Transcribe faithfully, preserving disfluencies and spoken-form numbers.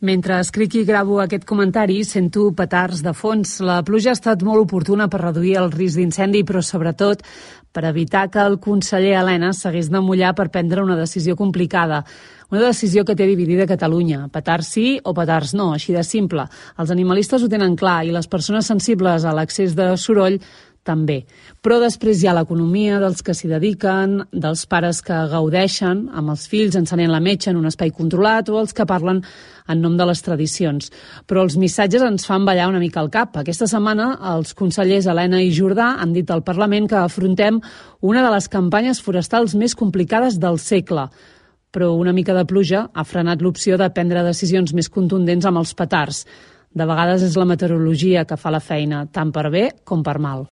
Mentre escric i gravo aquest comentari, sento petards de fons. La pluja ha estat molt oportuna per reduir el risc d'incendi, però sobretot per evitar que el conseller Elena s'hagués de mullar per prendre una decisió complicada. Una decisió que té dividida Catalunya. Petards sí o petards no, així de simple. Els animalistes ho tenen clar i les persones sensibles a l'excés de soroll també. Però després hi ha l'economia dels que s'hi dediquen, dels pares que gaudeixen amb els fills encenent la metxa en un espai controlat o els que parlen en nom de les tradicions. Però els missatges ens fan ballar una mica al cap. Aquesta setmana els consellers Elena i Jordà han dit al Parlament que afrontem una de les campanyes forestals més complicades del segle. Però una mica de pluja ha frenat l'opció de prendre decisions més contundents amb els petards. De vegades és la meteorologia que fa la feina, tant per bé com per mal.